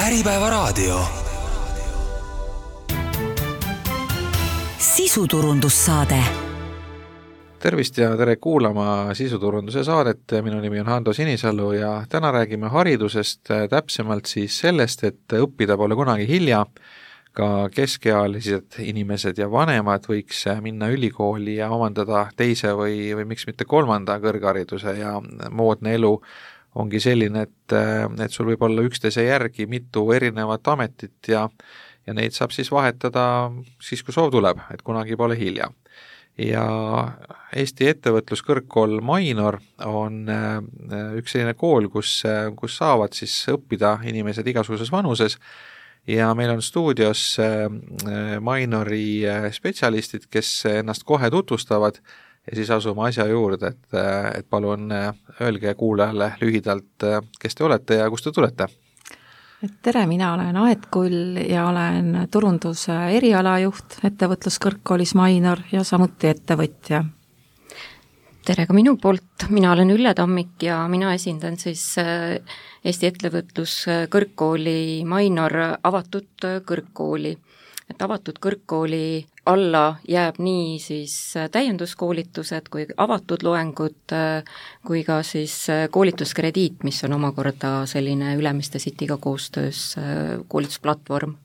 Äripäevaraadio. Sisuturundussaade. Tervist ja tere kuulama sisuturunduse saadet. Minu nimi on Hando Sinisalu ja täna räägime haridusest, täpsemalt siis sellest, et õppida pole kunagi hilja. Ka keskealised inimesed ja vanemad võiks minna ülikooli ja omandada teise või miks mitte kolmanda kõrghariduse ja moodne elu ongi selline, et sul võib olla üksteise järgi mitu erinevat ametit ja neid saab siis vahetada siis, kui soov tuleb, et kunagi pole hilja. Ja Eesti ettevõtluskõrgkool Mainor on üks selline kool, kus saavad siis õppida inimesed igasuguses vanuses ja meil on stuudios Mainori spetsialistid, kes ennast kohe tutvustavad ja siis asume asja juurde, et palun öelge kuulajale lühidalt, kes te olete ja kust te tulete. Tere, mina olen Aet Kull ja olen turunduse erialajuht ettevõtluskõrgkoolis Mainor ja samuti ettevõtja. Tere ka minu poolt, mina olen Ülle Tammik ja mina esindan siis Eesti ettevõtluskõrgkooli Mainor avatud kõrgkooli. Et avatud kõrgkooli alla jääb nii siis täienduskoolitused kui avatud loengud kui ka siis koolituskrediit, mis on omakorda selline Ülemiste Cityga koostöös koolitusplatvorm.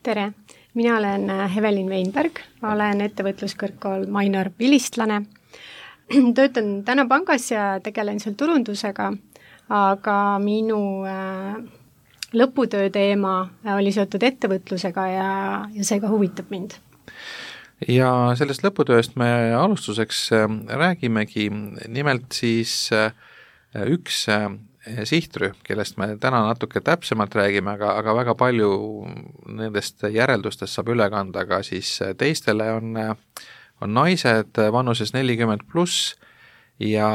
Tere, mina olen Hevelin Weinberg, olen ettevõtluskõrgkool Mainor vilistlane. Töötan täna pangas ja tegelen seal turundusega, aga minu lõputöö teema oli seotud ettevõtlusega ja see ka huvitab mind. Ja sellest lõputööst me alustuseks räägimegi, nimelt siis üks sihtrühm, kellest me täna natuke täpsemalt räägime, aga väga palju nendest järeldustest saab üle kanda ka siis teistele on naised vanuses 40+ ja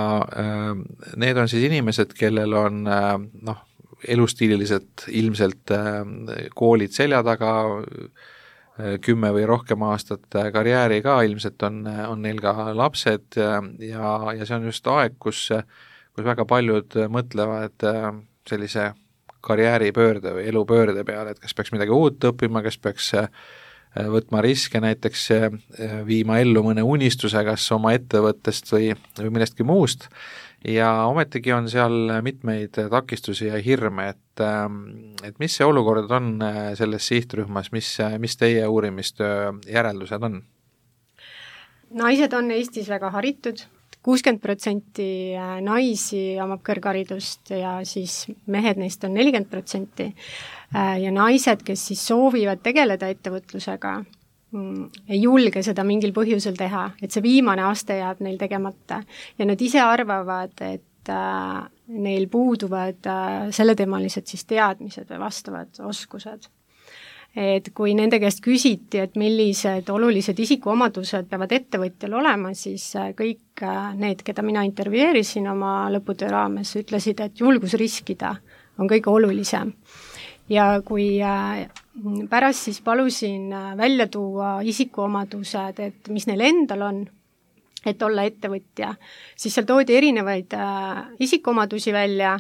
need on siis inimesed, kellel on elustiililiselt ilmselt koolid selja taga, 10 või rohkem aastat karjääri ka, ilmselt on neil ka lapsed ja see on just aeg, kus väga paljud mõtlevad sellise karjääripöörde või elupöörde peale, et kas peaks midagi uut õppima, kas peaks võtma riske, näiteks viima ellu mõne unistuse, kas oma ettevõttest või millestki muust. Ja ometigi on seal mitmeid takistusi ja hirme, et mis see olukord on selles sihtrühmas, mis teie uurimistöö järeldused on? Naised on Eestis väga haritud, 60% naisi omab kõrgharidust ja siis mehed neist on 40%. Ja naised, kes siis soovivad tegeleda ettevõtlusega, ei julge seda mingil põhjusel teha, et see viimane aste jääb neil tegemata ja nad ise arvavad, et neil puuduvad selleteemalised siis teadmised või vastavad oskused. Et kui nende käest küsiti, et millised olulised isikuomadused peavad ettevõtjal olema, siis kõik need, keda mina intervjueerisin oma lõputöö raames, ütlesid, et julgus riskida on kõige olulisem. Ja kui pärast siis palusin välja tuua isikuomadused, et mis neil endal on, et olla ettevõtja, siis seal toodi erinevaid isikuomadusi välja,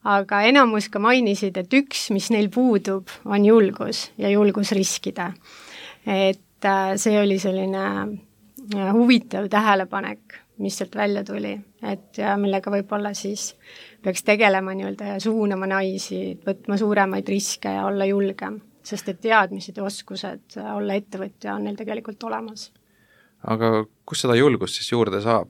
aga enamus ka mainisid, et üks, mis neil puudub, on julgus ja julgus riskida. Et see oli selline huvitav tähelepanek, mis sealt välja tuli, et ja millega võib-olla siis peaks tegelema ja suunama naisi, võtma suuremaid riske ja olla julgem, sest et teadmised ja oskused olla ettevõtja on neil tegelikult olemas. Aga kus seda julgust siis juurde saab?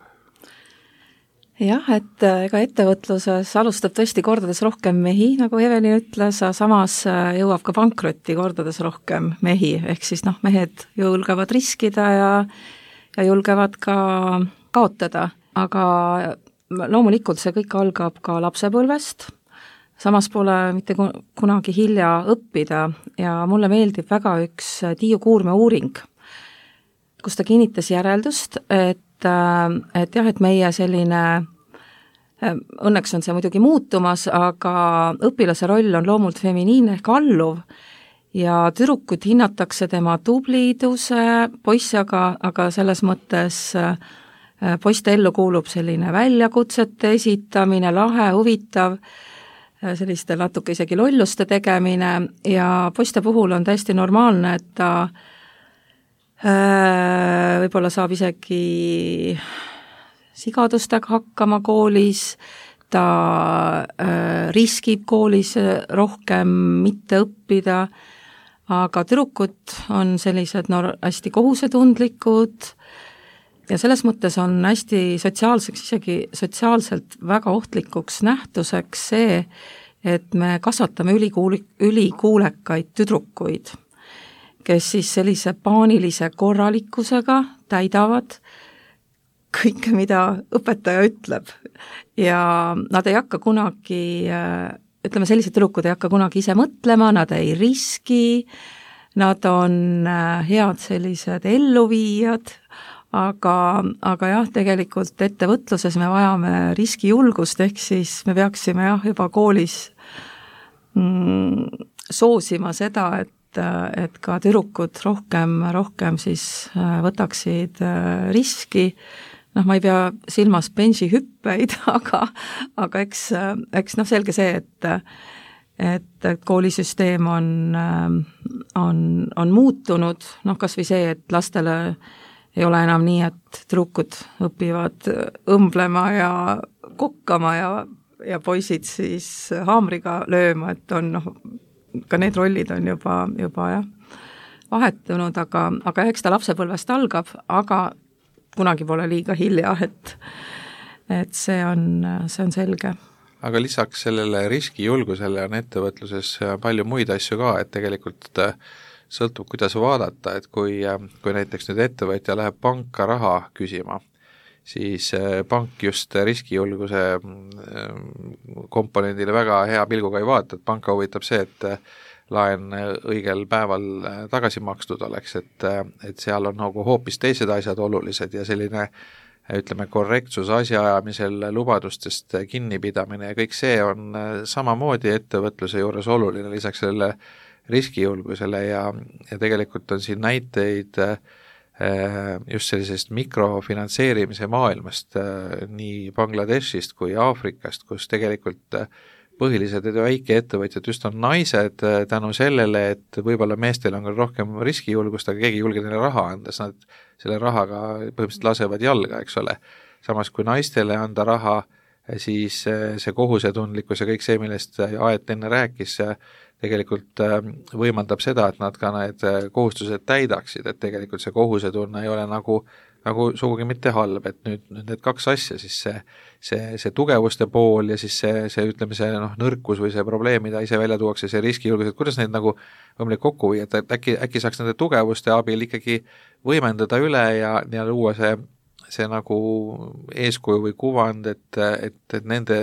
Jah, et ega ettevõtluses alustab tõesti kordades rohkem mehi, nagu Evelin ütles, samas jõuab ka pankrotti kordades rohkem mehi, ehk siis mehed julgevad riskida ja julgevad ka kaotada, aga loomulikult see kõik algab ka lapsepõlvest, samas pole mitte kunagi hilja õppida ja mulle meeldib väga üks Tiiu Kuurme uuring, kus ta kinnitas järeldust, et meie selline, õnneks on see muidugi muutumas, aga õpilase roll on loomult feminiinne ehk alluv ja tüdrukut hinnatakse tema tubliduse, poissi aga selles mõttes poiste ellu kuulub selline väljakutsete esitamine, lahe, huvitav selliste natuke isegi lolluste tegemine ja poiste puhul on täiesti normaalne, et ta võib-olla saab isegi sigadustega hakkama koolis, ta riskib koolis rohkem mitte õppida, aga tüdrukud on sellised hästi kohusetundlikud ja selles mõttes on hästi sotsiaalseks, isegi sotsiaalselt väga ohtlikuks nähtuseks see, et me kasvatame ülikuulekaid tüdrukuid, kes siis sellise paanilise korralikkusega täidavad kõike, mida õpetaja ütleb. Ja nad ei hakka kunagi, ütleme, sellised tüdrukud ei hakka kunagi ise mõtlema, nad ei riski, nad on head sellised elluviijad, aga jah, tegelikult ettevõtluses me vajame riskijulgust, ehk siis me peaksime juba koolis soosima seda, et ka tüdrukud rohkem siis võtaksid riski, ma ei pea silmas bensihüppeid, aga eks selge see, et koolisüsteem on muutunud, kas või see, et lastele ei ole enam nii, et tüdrukud õpivad õmblema ja kokkama ja poisid siis haamriga lööma, et on ka need rollid on juba jah, vahetunud, aga eks ta lapsepõlvest algab, aga kunagi pole liiga hilja, et see on selge. Aga lisaks sellele riskijulgusele on ettevõtluses palju muid asju ka, et tegelikult sõltub, kuidas vaadata, et kui näiteks nüüd ettevõtja läheb panka raha küsima, siis pank just riskijulguse komponendile väga hea pilguga ei vaata, et panka huvitab see, et laen õigel päeval tagasi makstud oleks, et seal on nagu hoopis teised asjad olulised ja selline ütleme, korrektsus asjaajamisel, lubadustest kinnipidamine ja kõik see on samamoodi ettevõtluse juures oluline, lisaks sellele riskijulgusele ja tegelikult on siin näiteid just sellisest mikrofinantseerimise maailmast nii Bangladeshist kui Aafrikast, kus tegelikult põhilised väikeettevõtjad just on naised tänu sellele, et võib-olla meestel on küll rohkem riskijulgust, aga keegi ei julge neile raha anda, siis nad selle rahaga põhimõtteliselt lasevad jalga, eks ole. Samas kui naistele anda raha, siis see kohusetundlikkus ja kõik see, millest Aet enne rääkis, tegelikult võimaldab seda, et nad ka need kohustused täidaksid, et tegelikult see kohusetunne ei ole nagu sugugi mitte halb, et nüüd need kaks asja, siis see tugevuste pool ja siis see ütleme, see nõrkus või see probleem, mida ise välja tuuakse, see riskijulgus, et kuidas neid nagu võimalik kokku viia, et äkki saaks nende tugevuste abil ikkagi võimendada üle ja luua see nagu eeskuju või kuvand, et nende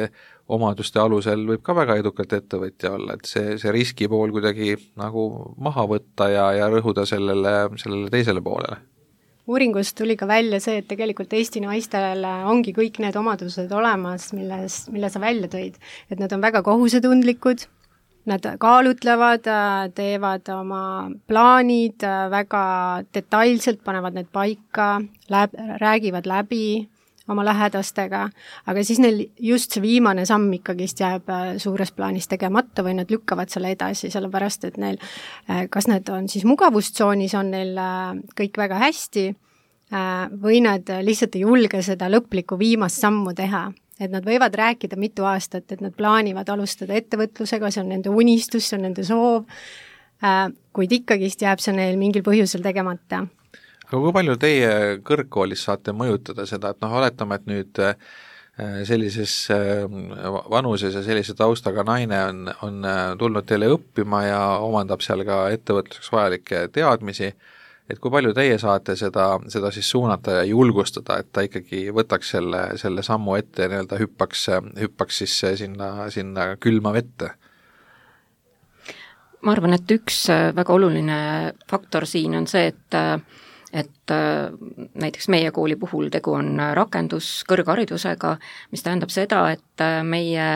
omaduste alusel võib ka väga edukalt ettevõtja olla, et see riski pool kuidagi nagu maha võtta ja rõhuda sellele teisele poolele. Uuringust tuli ka välja see, et tegelikult Eesti naistel ongi kõik need omadused olemas, mille sa välja tõid. Et nad on väga kohusetundlikud, nad kaalutlevad, teevad oma plaanid väga detailselt, panevad need paika, räägivad läbi oma lähedastega, aga siis neil just see viimane samm ikkagist jääb suures plaanis tegemata või nad lükkavad selle edasi, sellepärast et neil, kas need on siis mugavustsoonis, on neil kõik väga hästi või nad lihtsalt ei julge seda lõplikku viimast sammu teha. Et nad võivad rääkida mitu aastat, et nad plaanivad alustada ettevõtlusega, see on nende unistus, see on nende soov, kuid ikkagist jääb see neil mingil põhjusel tegemata. Aga kui palju teie kõrgkoolis saate mõjutada seda, et oletame, et nüüd sellises vanuses ja sellise taustaga naine on tulnud teile õppima ja omandab seal ka ettevõtluseks vajalikke teadmisi, et kui palju teie saate seda siis suunata ja julgustada, et ta ikkagi võtaks selle sammu ette ja nii-öelda hüppaks siis sinna külma vette? Ma arvan, et üks väga oluline faktor siin on see, et näiteks meie kooli puhul tegu on rakenduskõrgharidusega, mis tähendab seda, et meie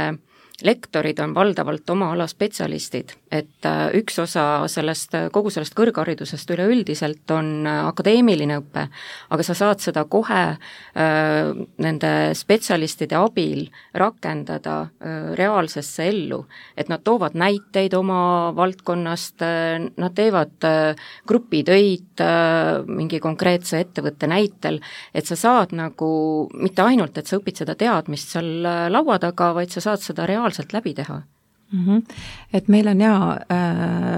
lektorid on valdavalt oma ala spetsialistid, et üks osa kogu sellest kõrgharidusest üleüldiselt on akadeemiline õpe, aga sa saad seda kohe nende spetsialistide abil rakendada reaalsesse ellu, et nad toovad näiteid oma valdkonnast, nad teevad grupitöid mingi konkreetse ettevõtte näitel, et sa saad nagu mitte ainult, et sa õpid seda teadmist seal laua taga, vaid sa saad seda reaalselt läbi teha. Et meil on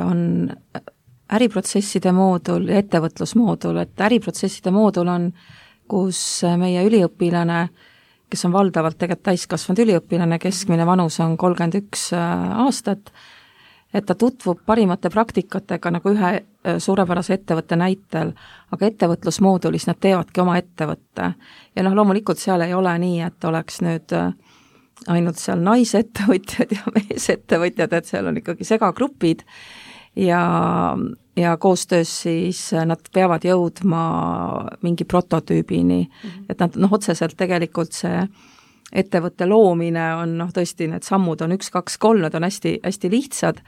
on äriprotsesside moodul ja ettevõtlusmoodul, et äriprotsesside moodul on, kus meie üliõpilane, kes on valdavalt tegelikult täiskasvanud üliõpilane, keskmine vanus on 31 aastat, et ta tutvub parimate praktikatega nagu ühe suurepärase ettevõtte näitel, aga ettevõtlusmoodulis nad teevadki oma ettevõtte. Ja loomulikult seal ei ole nii, et oleks nüüd ainult seal naisettevõtjad ja meesettevõtjad, et seal on ikkagi segagrupid ja koostöös siis nad peavad jõudma mingi prototüübini, et nad otseselt tegelikult see ettevõtte loomine on tõesti, need sammud on 1, 2, 3, need on hästi, hästi lihtsad,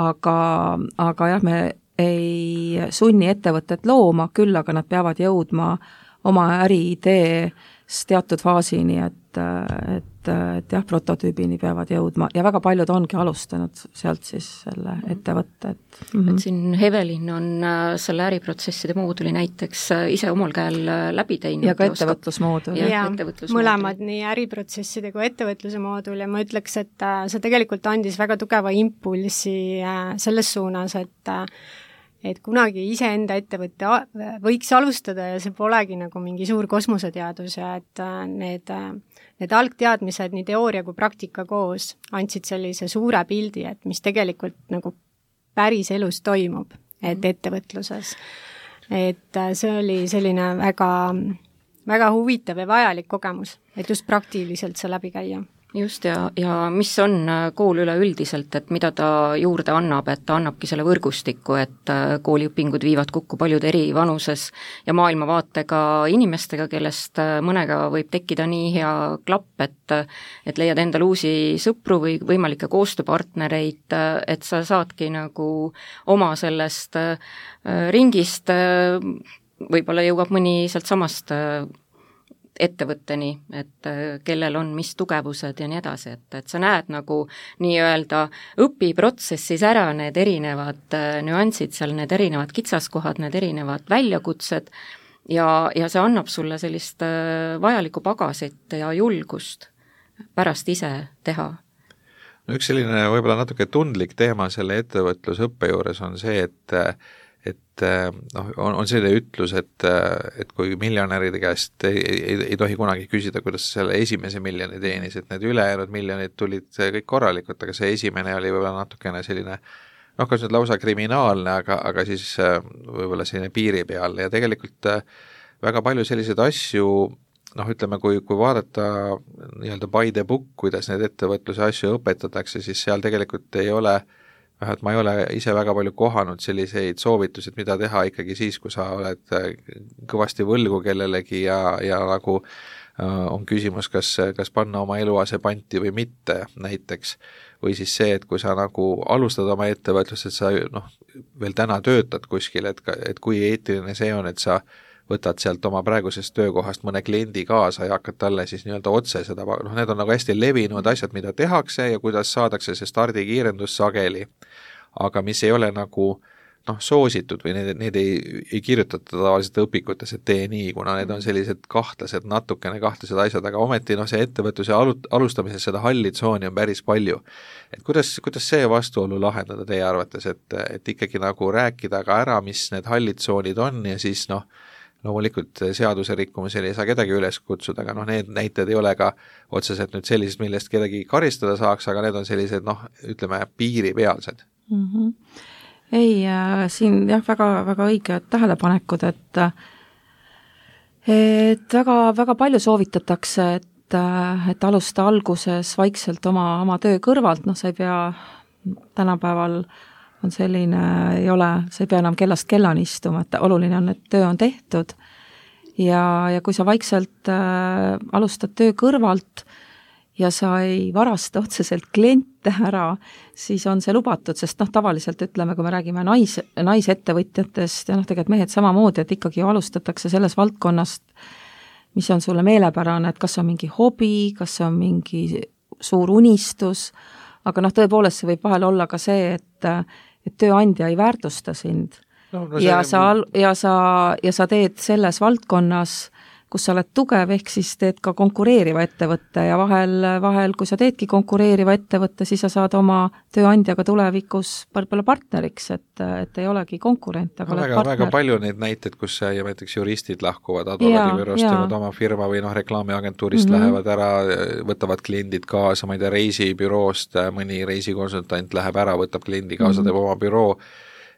aga jah, me ei sunni ettevõtet looma, küll aga nad peavad jõudma oma äriidees teatud faasini, et jah, prototüübini peavad jõudma ja väga paljud ongi alustanud sealt siis selle ettevõtte. Et siin Evelin on selle äriprotsesside mooduli näiteks ise omal käel läbi teinud. Ja ka ettevõtlusmoodul. Ja mõlemad, nii äriprotsesside kui ettevõtluse moodul ja ma ütleks, et see tegelikult andis väga tugeva impulsi selles suunas, et kunagi iseenda ettevõtte võiks alustada ja see polegi nagu mingi suur kosmoseteadus ja et need algteadmised, nii teooria kui praktika koos andsid sellise suure pildi, et mis tegelikult nagu päris elus toimub, et ettevõtluses. Et see oli selline väga, väga huvitav ja vajalik kogemus, et just praktiliselt see läbi käia. Just, ja mis on kool üleüldiselt, et mida ta juurde annab, et ta annabki selle võrgustiku, et kooliõpingud viivad kokku paljud eri vanuses ja maailmavaatega inimestega, kellest mõnega võib tekkida nii hea klapp, et leiad endale uusi sõpru või võimalikke koostööpartnereid, et sa saadki nagu oma sellest ringist, võib-olla jõuab mõni sealt samast ettevõtteni, et kellel on mis tugevused ja nii edasi, et sa näed nagu nii-öelda õpiprotsessis ära need erinevad nüansid seal, need erinevad kitsaskohad, need erinevad väljakutsed ja see annab sulle sellist vajalikku pagasit ja julgust pärast ise teha. No üks selline võib-olla natuke tundlik teema selle ettevõtlusõppe juures on see, et on selline ütlus, et kui miljonäride käest ei tohi kunagi küsida, kuidas selle esimese miljoni teenis, et need ülejäänud miljonid tulid kõik korralikult, aga see esimene oli võib-olla natukene selline, kas nüüd lausa kriminaalne, aga siis võib-olla selline piiri peal ja tegelikult väga palju selliseid asju, ütleme, kui vaadata nii-öelda by the book, kuidas need ettevõtluse asju õpetatakse, siis seal tegelikult ei ole et ma ei ole ise väga palju kohanud selliseid soovitused, mida teha ikkagi siis, kui sa oled kõvasti võlgu kellelegi ja nagu on küsimus, kas panna oma eluase panti või mitte näiteks, või siis see, et kui sa nagu alustad oma ettevõtlust, et sa veel täna töötad kuskil, et kui eetiline see on, et sa võtad sealt oma praegusest töökohast mõne kliendi kaasa ja hakkad talle siis nii-öelda otse seda, need on nagu hästi levinud asjad, mida tehakse ja kuidas saadakse see stardikiirendus sageli, aga mis ei ole nagu soositud või need ei kirjutata tavaliselt õpikutes, et tee nii, kuna need on sellised natukene kahtlased asjad, aga ometi see ettevõtluse alustamises seda halli tsooni on päris palju. Et kuidas see vastuolu lahendada teie arvates, et ikkagi nagu rääkida ka ära, mis need hallid tsoonid on ja siis loomulikult seaduse rikkumisel ei saa kedagi üles kutsuda, aga need näited ei ole ka otseselt nüüd sellised, millest kedagi karistada saaks, aga need on sellised, ütleme, piiripealsed. Ei, siin väga, väga õiged tähelepanekud, et väga, väga palju soovitatakse, et alusta alguses vaikselt oma töö kõrvalt, sa ei pea tänapäeval on selline, sa ei pea enam kellast kellani istuma, et oluline on, et töö on tehtud ja kui sa vaikselt alustad töö kõrvalt ja sa ei varasta otseselt kliente ära, siis on see lubatud, sest tavaliselt ütleme, kui me räägime naisettevõtjatest ja tegelikult mehed samamoodi, et ikkagi alustatakse selles valdkonnast, mis on sulle meelepärane, et kas on mingi hobi, kas on mingi suur unistus, aga tõepoolest see võib vahel olla ka see, et tööandja ei väärtusta sind sa teed selles valdkonnas, kus sa oled tugev, ehk siis teed ka konkureeriva ettevõtte ja vahel, kui sa teedki konkureeriva ettevõtte, siis sa saad oma tööandjaga tulevikus võib-olla partneriks, et ei olegi konkurent, aga oled partner. Väga palju neid näiteid, kus näiteks juristid lahkuvad advokaadibüroost ja oma firma või reklaamiagentuurist lähevad ära, võtavad kliendid kaasa, ma ei tea, reisibüroost, mõni reisikonsultant läheb ära, võtab kliendi kaasa, teeb oma büroo,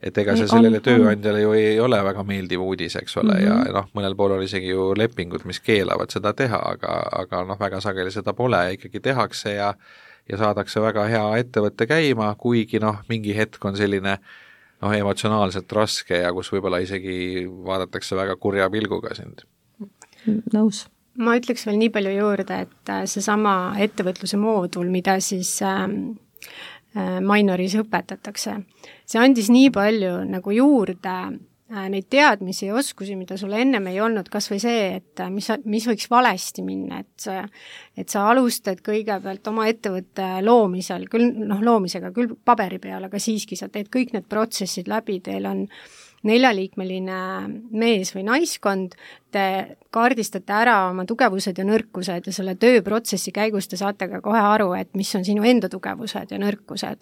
et ega see sellele tööandjale ju ei ole väga meeldiv uudis, eks ole, ja mõnel pool on isegi ju lepingud, mis keelavad seda teha, aga väga sageli seda pole, ikkagi tehakse ja saadakse väga hea ettevõtte käima, kuigi mingi hetk on selline emotsionaalselt raske ja kus võib-olla isegi vaadatakse väga kurja pilguga sind. Nõus. Ma ütleks veel nii palju juurde, et seesama ettevõtluse moodul, mida siis Mainoris õpetatakse. See andis nii palju nagu juurde neid teadmisi ja oskusi, mida sul ennem ei olnud, kas või see, et mis võiks valesti minna, et sa alustad kõigepealt oma ettevõtte loomisel, loomisega küll paberi peal, aga siiski sa teed kõik need protsessid läbi, teil on 4-liikmeline mees või naiskond, te kaardistate ära oma tugevused ja nõrkused ja selle tööprotsessi käigus te saate ka kohe aru, et mis on sinu enda tugevused ja nõrkused.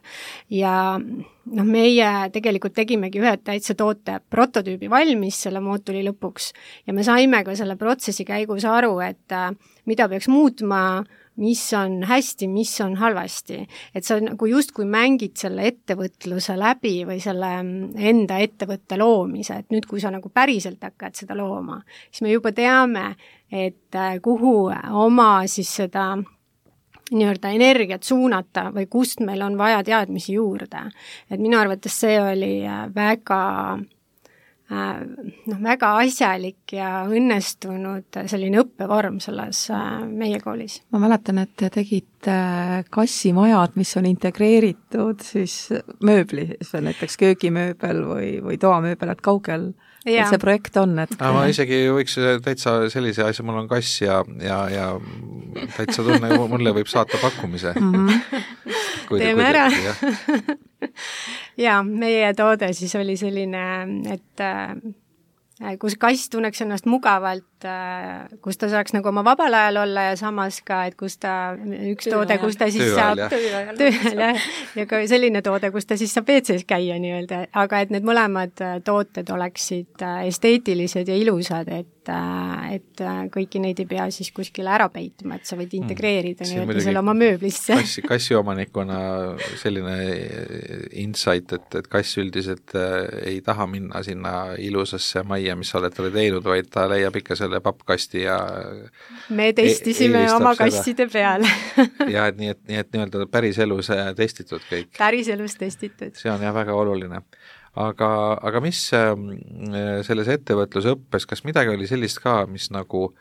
Ja meie tegelikult tegimegi ühe täitsa toote prototüübi valmis selle mooduli lõpuks ja me saime ka selle protsessi käigus aru, et mida peaks muutma, mis on hästi, mis on halvasti. Et sa nagu justkui mängid selle ettevõtluse läbi või selle enda ettevõtte loomise, et nüüd, kui sa nagu päriselt hakkad seda looma, siis me juba teame, et kuhu oma siis seda nii-öelda energiat suunata või kust meil on vaja teadmisi juurde. Et minu arvates see oli väga asjalik ja õnnestunud selline õppevorm selles meie koolis. Ma mäletan, et te tegite kassimajad, mis on integreeritud siis mööbli, näiteks köögimööbel või toamööbel, et kaugel see projekt on? Ma isegi võiks täitsa sellise asja, mul on kass ja täitsa tunne, mulle võib saata pakkumise. Teeme ära. Ja meie toode siis oli selline, et kus kass tunneks ennast mugavalt, kus ta saaks nagu oma vabal ajal olla ja samas ka, et kus ta, üks toode, kus ta siis saab tööajal ja ka selline toode, kus ta siis saab WC-s käia nii-öelda, aga et need mõlemad tooted oleksid esteetilised ja ilusad, et kõiki neid ei pea siis kuskile ära peitma, et sa võid integreerida nii-öelda selle oma mööblisse. Kassi omanikuna selline insight, et kass üldiselt ei taha minna sinna ilusasse majja, mis sa oled talle teinud, vaid ta leiab ikka selle pappkasti ja me testisime oma kasside peal. ja nii et nii-öelda päris elus testitud kõik. Päris elus testitud. See on jah väga oluline. Aga mis selles ettevõtlusõppes, kas midagi oli sellist ka, mis nagu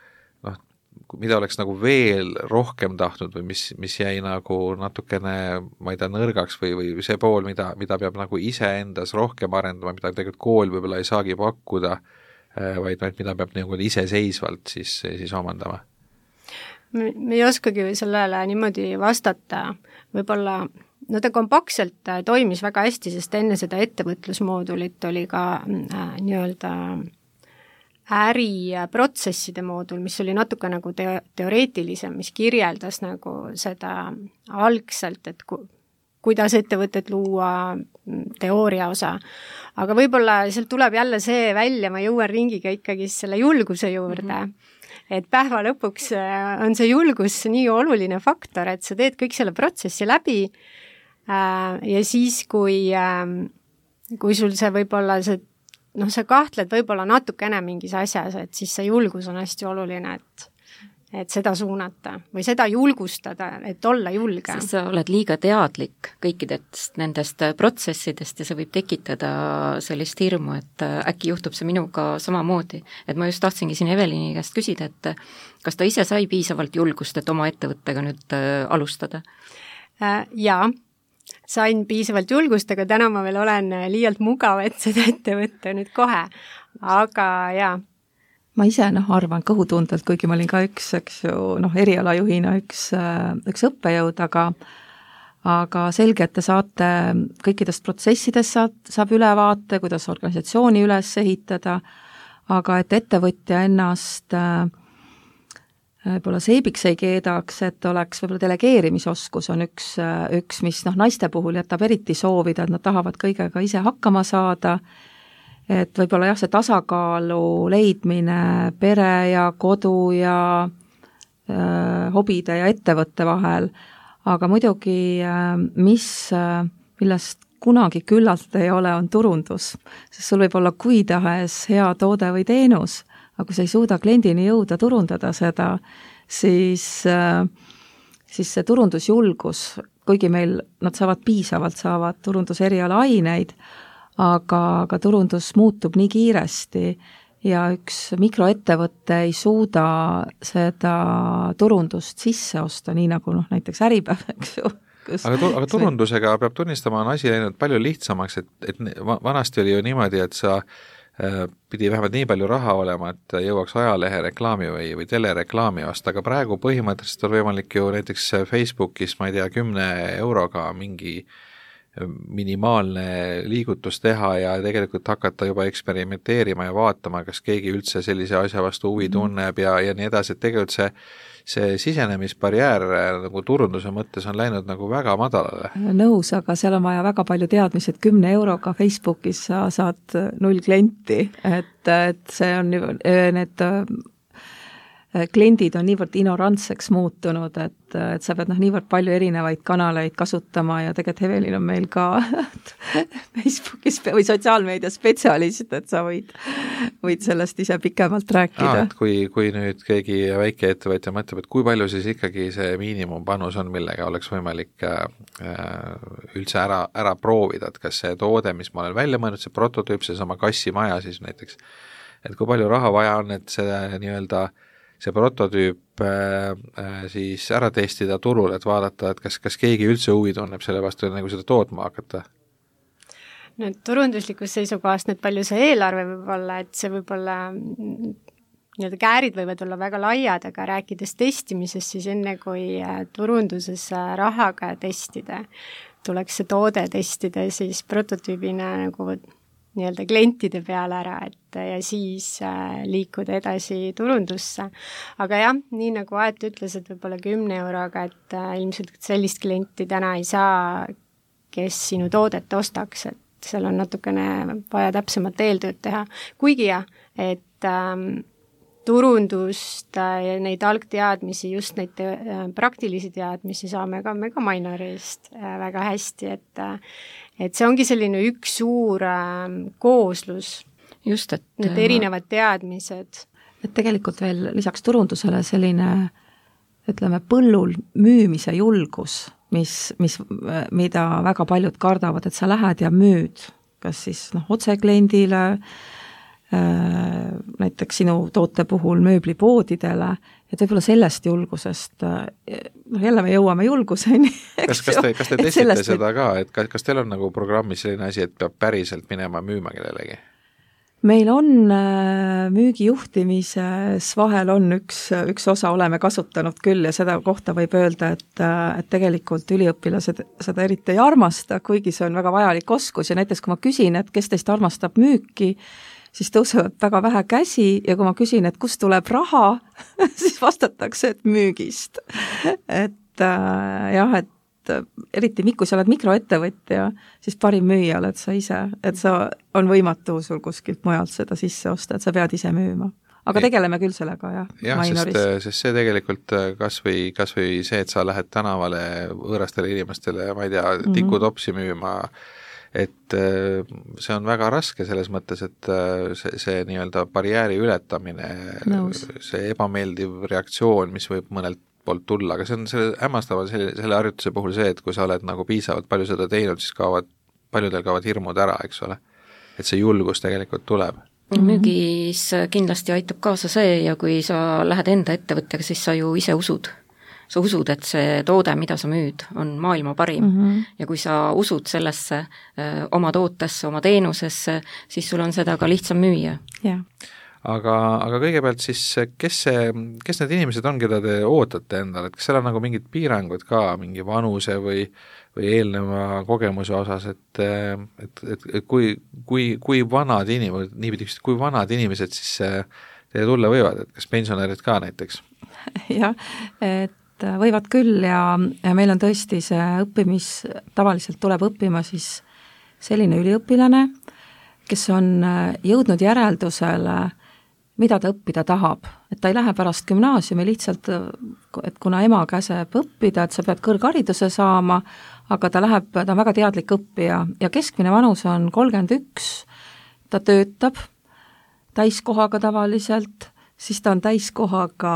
mida oleks nagu veel rohkem tahtnud või mis jäi nagu natukene, ma ei tea, nõrgaks või see pool, mida peab nagu iseendas rohkem arendama, mida tegelikult kool võib-olla ei saagi pakkuda, vaid mida peab nagu iseseisvalt siis omandama? Me ei oskagi sellele niimoodi vastata, võib-olla ta kompaktselt toimis väga hästi, sest enne seda ettevõtlusmoodulit oli ka nii-öelda äriprotsesside moodul, mis oli natuke nagu teoreetilisem, mis kirjeldas nagu seda algselt, et kuidas ettevõtet luua, teooria osa. Aga võib-olla sealt tuleb jälle see välja, ma jõuan ringiga ikkagi selle julguse juurde, et päeva lõpuks on see julgus nii oluline faktor, et sa teed kõik selle protsessi läbi ja siis, kui sul see võib-olla sa kahtled võib-olla natukene mingis asjas, et siis see julgus on hästi oluline, et seda suunata või seda julgustada, et olla julge. Sest sa oled liiga teadlik kõikidest nendest protsessidest ja see võib tekitada sellist hirmu, et äkki juhtub see minuga samamoodi. Et ma just tahtsingi siin Evelini käest küsida, et kas ta ise sai piisavalt julgust, et oma ettevõttega nüüd alustada? Jaa, sain piisavalt julgust, aga täna ma veel olen liialt mugav, et seda ette võtta nüüd kohe. Aga jaa, ma ise arvan kõhutundelt, kuigi ma olin ka üks erialajuhina üks õppejõud, aga selge, et te saate kõikidest protsessidest saab ülevaate, kuidas organisatsiooni üles ehitada, aga et ettevõtja ennast võib-olla seibiks ei keedaks, et oleks võib-olla delegeerimisoskus on üks, mis naiste puhul jätab eriti soovida, et nad tahavad kõigega ise hakkama saada, et võib-olla see tasakaalu leidmine pere ja kodu ja hobide ja ettevõtte vahel, aga muidugi millest kunagi küllalt ei ole, on turundus, sest sul võib olla kui tahes hea toode või teenus, aga kui sa ei suuda kliendini jõuda turundada seda, siis see turundusjulgus, kuigi meil nad saavad turunduseriala aineid, aga turundus muutub nii kiiresti ja üks mikroettevõte ei suuda seda turundust sisse osta, nii nagu näiteks Äripäev, eks ju. Aga turundusega peab tunnistama, on asi läinud palju lihtsamaks, et vanasti oli ju niimoodi, et sa pidi vähemalt nii palju raha olema, et jõuaks ajalehe reklaami või telereklaami osta, aga praegu põhimõtteliselt on võimalik ju näiteks Facebookis, ma ei tea, 10 euroga mingi minimaalne liigutus teha ja tegelikult hakata juba eksperimenteerima ja vaatama, kas keegi üldse sellise asja vastu huvi tunneb ja nii edasi, et tegelikult see sisenemisbarjäär nagu turunduse mõttes on läinud nagu väga madalale. Nõus, aga seal on vaja väga palju teadmisi, et 10 euroga Facebookis sa saad 0 klienti, et see on need kliendid on niivõrd ignorantseks muutunud, et sa pead niivõrd palju erinevaid kanaleid kasutama ja tegelikult Evelin on meil ka Facebookis või sotsiaalmeedia spetsialist, et sa võid sellest ise pikemalt rääkida. Et kui nüüd keegi väikeettevõtja mõtleb, et kui palju siis ikkagi see miinimumpanus on, millega oleks võimalik üldse ära proovida, et kas see toode, mis ma olen välja mõelnud, see prototüüp, see sama kassimaja siis näiteks, et kui palju raha vaja on, et see prototüüp siis ära testida turul, et vaadata, et kas keegi üldse huvi tunneb selle vastu, nagu seda tootma hakata? No turunduslikust seisukohast nüüd palju see eelarve võib olla, et see võib olla, käärid võivad olla väga laiad, aga rääkides testimisest, siis enne kui turunduses rahaga testida, tuleks see toode testida siis prototüübina nagu klientide peale ära, ja siis liikuda edasi turundusse. Aga jah, nii nagu Aet ütles, et võib-olla 10 euroga, et ilmselt sellist klienti täna ei saa, kes sinu toodet ostaks, et seal on natukene vaja täpsemat eeltööd teha. Kuigi jah, et turundust ja neid algteadmisi, just neid praktilisi teadmisi saame ka Mainorist väga hästi, et see ongi selline üks suur kooslus. Just, need erinevad teadmised. Et tegelikult veel lisaks turundusele selline, põllul müümise julgus, mida väga paljud kardavad, et sa lähed ja müüd, kas siis otse kliendile, näiteks sinu toote puhul mööblipoodidele, et võib-olla sellest julgusest, jälle me jõuame julguseni. Kas te testite seda ka, et kas teil on nagu programmis selline asi, et peab minema müüma kellelegi? Meil on müügijuhtimises vahel on üks osa oleme kasutanud küll ja seda kohta võib öelda, et tegelikult üliõpilased seda eriti ei armasta, kuigi see on väga vajalik oskus ja näiteks kui ma küsin, et kes teist armastab müüki, siis tõusevad väga vähe käsi ja kui ma küsin, et kust tuleb raha, siis vastatakse, et müügist. Et eriti kui sa oled mikroettevõtja, siis parim müüja oled sa ise, et on võimatu sul kuskilt mujalt seda sisse osta, et sa pead ise müüma. Aga tegeleme küll sellega, jah. Jah, sest see tegelikult kas või see, et sa lähed tänavale võõrastele inimestele, ma ei tea, tikutopsi müüma, et see on väga raske selles mõttes, et see nii-öelda barjääri ületamine, see ebameeldiv reaktsioon, mis võib mõnelt poolt tulla, aga see on selle hämmastaval selle harjutuse puhul see, et kui sa oled nagu piisavalt palju seda teinud, siis paljudel kaovad hirmud ära, eks ole. Et see julgus tegelikult tuleb. Müügis kindlasti aitab kaasa see ja kui sa lähed enda ettevõttega, siis sa ju ise usud. Sa usud, et see toode, mida sa müüd, on maailma parim ja kui sa usud sellesse oma tootesse, oma teenusesse, siis sul on seda ka lihtsam müüa. Yeah. Aga kõigepealt siis, kes need inimesed on, keda te ootate endale, et kas seal on nagu mingid piirangud ka, mingi vanuse või eelneva kogemuse osas, et kui vanad inimesed, niipidi, kui vanad inimesed siis teie tulla võivad, et kas pensionärid ka näiteks? Jah, et võivad küll ja meil on tõesti see tavaliselt tuleb õppima siis selline üliõpilane, kes on jõudnud järeldusele, mida ta õppida tahab, et ta ei lähe pärast gümnaasiumi lihtsalt, et kuna ema käseb õppida, et sa pead kõrghariduse saama, aga ta on väga teadlik õppija ja keskmine vanus on 31, ta töötab täiskohaga tavaliselt, siis ta on täiskohaga